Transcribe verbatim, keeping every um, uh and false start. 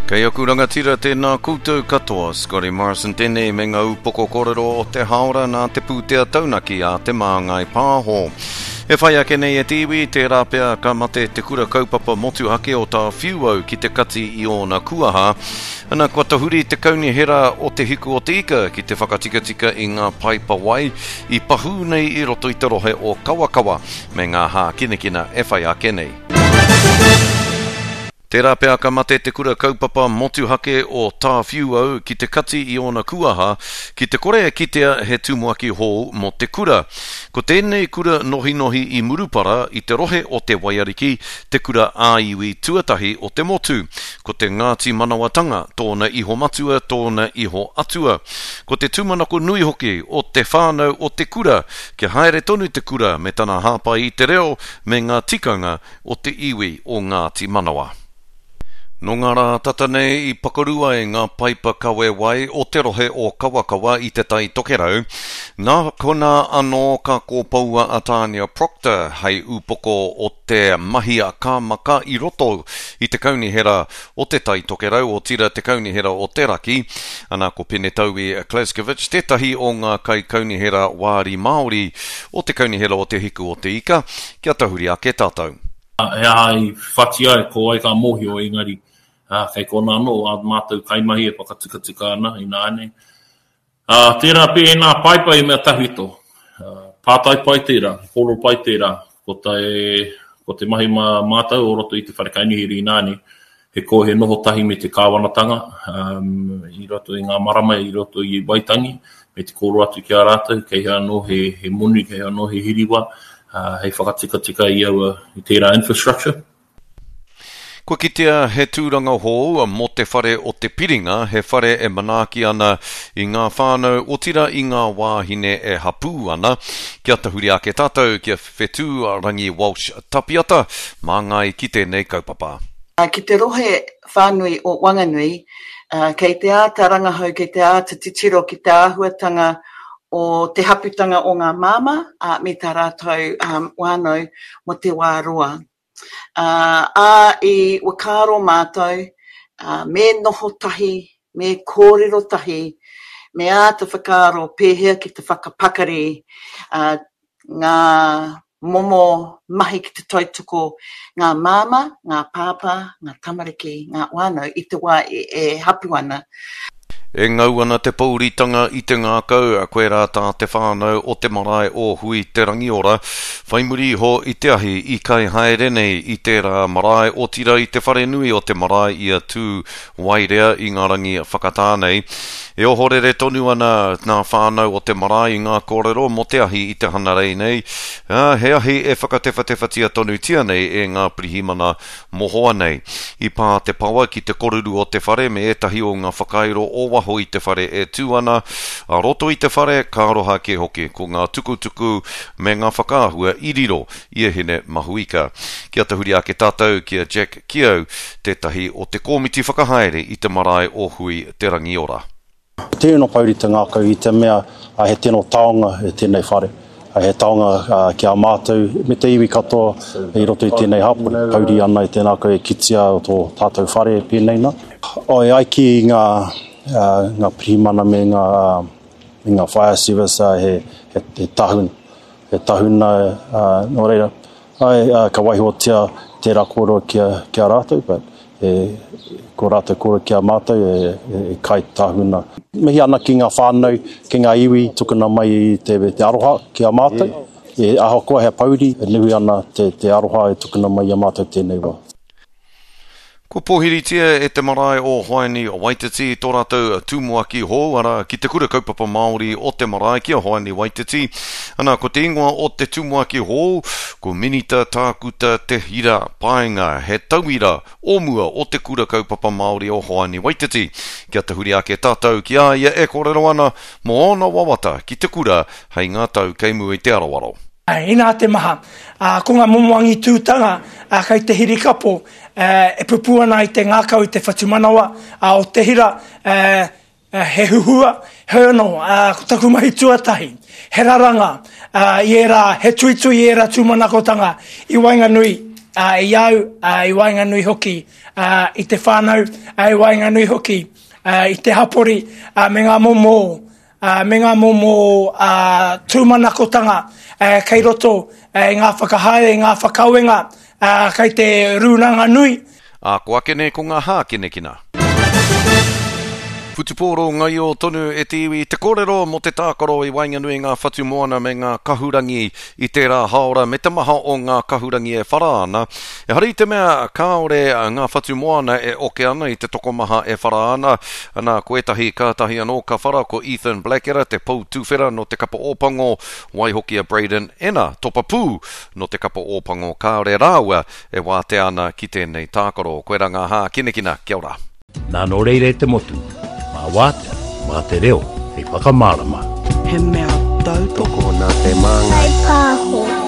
Kei aku rangatira tēnā koutou katoa, Scotty Morrison tēnei me ngā upoko kōrero o te haora nā te pūtea taunaki a Te Māngai Pāho. E whai ake nei e te iwi, tērā pea ka mate te kura kaupapa motuhake o Tāwhiuau ki te kati i ōna kuaha. Ana kua tahuri te kaunihera o Te Hiku o Te Ika ki te whakatikatika i ngā paipa wai i pahū nei i roto i te rohe o Kawakawa me ngā hākinakina e whai ake nei. Tērā pea ka mate te kura kaupapa motuhake o Tāwhiuau ki te kati i ōna kuaha, ki te kore e kitea he tumuaki hou mō te kura. Ko tēnei kura nohinohi i Murupara i te rohe o Te Waiariki, te kura ā-iwi tuatahi o te motu. Ko te Ngāti Manawatanga tōna iho matua, tōna iho atua. Ko te tūmanako nui hoki o te whānau o te kura, kia haere tonu te kura me tana hāpai i te reo me ngā tikanga o te iwi o Ngāti Manawa. Nō ngā rā tata nei i pakaru ai ngā paipa kawe wai o te rohe o Kawakawa i te Tai Tokerau. Nā konā anō ka kōpoua a Tānia Proctor hei upoko o te mahi a Kāmaka i roto i te kaunihera o te Tai Tokerau, otirā te kaunihera o te Raki. Ana ko Penetaui Kleskovic tētahi o ngā kaikaunihera wāri Māori o te kaunihera o Te Hiku o Te Ika. Kia tahuri ake tātou. He aha i whati ai, ko wai ka mōhio, engari kei kona anō ā mātou kaimahi e whakatikatika ana ināianei. Tērā pea ēnā paipa i mea tawhito, pātai pai tērā, kōrero pai tērā, ko te, ko te mahi mā mātou o roto i te whare kaunihera ināianei, he ko he noho tahi me te kāwanatanga um, i roto i ngā marama, i roto i Waitangi, me te kōrero atu ki a rātou, kei hea anō he, he moni, kei hea anō he hiriwa, uh, hei whakatikatika i aua, i tērā infrastructure. Kua kitea he tūranga hou mō te whare o te Piringa, he whare e manaaki ana i ngā whānau, otirā i ngā wāhine e hapū ana. Kia tahuri ake tātou, kia Whetū Rangi Walsh Tapiata, māngai ki tēnei kaupapa. Ki te rohe whānui o Wanganui, kei te āta rangahau, kei te āta titiro ki te āhuatanga o te haputanga o ngā māmā me tā rātou whānau mō te wā roa. Ā, i whakaaro mātou, me noho tahi, me kōrero tahi, me āta whakaaro pēhea ki te whakapakari ngā momo mahi ki te tautoko ngā māmā, ngā pāpā, ngā tamariki, ngā whānau i te wā e hapu ana. E ngau ana te pouritanga i te ngākau, koirā tā te whānau o te marae o Hui Te Rangiora, whai muri iho i te ahi i kai haere nei i tērā marae, otirā i te wharenui o te marae i a Tū Wairea i ngā rangi whakatā nei. E ohorere tonu ana ngā whānau o te marae i ngā kōrero mō te ahi i te hanarei nei, ā, he ahi e whakatewhatewhatia tonutia nei e ngā pirihimana mohoa nei. I pā te pawa ki te koruru o te whare me ētahi o ngā whakairo o waho i te whare e tū ana, a roto i te whare ka aroha kē hoki ko ngā tukutuku me ngā whakaahua i riro i a Hine Mahuika. Kia tahuri ake tātou ki a Jack Keogh, tētahi o te kōmiti whakahaere i te marae o Hui Te Rangiora. Tēnō pouri te ngākau i te mea he tino taonga e tēnei whare. He taonga ki a mātou me te iwi katoa i roto i tēnei hapori. Pouri ana i te ngākau e kitea o tō tātou whare e pēnei nā. E ai ki ngā, ngā pirihimana me ngā, me ngā fire service he, he, he tahuna. He tahuna, nō reira, ai, ka waihotia tērā kōrero ki a, ki a rātou, but e, ko rātou kōrero ki a mātou e, e, e kai tahuna. Mihi ana ki ngā whānau, ki ngā iwi, tukuna mai i te, te aroha ki a mātou. E, ahakoa he pouri, e nui ana te, te aroha e tukuna mai i a mātou tēnei wā. Kua pōhiritia e te marae o Hoani Waititi tō rātou tumuaki hou, arā, ki te kura kaupapa Māori o te marae ki a Hoani Waititi. Ana, ko te ingoa o te tumuaki hou, ko Minita Tākuta Te Hira Paenga, he tauira o mua o te kura kaupapa Māori o Hoani Waititi. Kia tahuri ake tātou ki a ia e kōrero ana mō ōna wawata ki te kura hei ngā tau kei mua i te aroaro. Inā te maha, ko ngā momo angitūtanga kei te hirikapo e pupū ana i te ngākau i te whatumanawa o te hira, he huhua, heoi anō, ko taku mahi tuatahi, he raranga i ērā, he tuitui i ērā tūmanakotanga i waenganui i au, i waenganui hoki i te whānau, i waenganui hoki i te hapori me ngā momo, me ngā momo tūmanakotanga kei roto i ngā whakahaere, i ngā whakawenga kei te rūnanga nui. Ā, ko ake nei ko ngā hākinakina. Whutupōro ngaio tonu e te iwi te kōrero mō te tākaro i waenganui i ngā whatumoana me ngā kahurangi i tērā hāora me te maha o ngā kahurangi e whara ana. Ehara i te mea kāore ngā whatumoana e oke ana i te tokomaha e whara ana. Ana, ko ētahi kātahi anō ka whara ko Ethan Blackadder, te pou tuwhera nō te kapa Ōpango, waihoki a Braydon Ena, topa pū nō te kapa Ōpango, kāore rāua e wātea ana ki tēnei tākaro. Koirā ngā hākinakina. Kia ora. Nā nō reira e te motu, mā wātea, mā te reo, hei whakamārama. He mea tautoko nā te māngai. Whai pāho.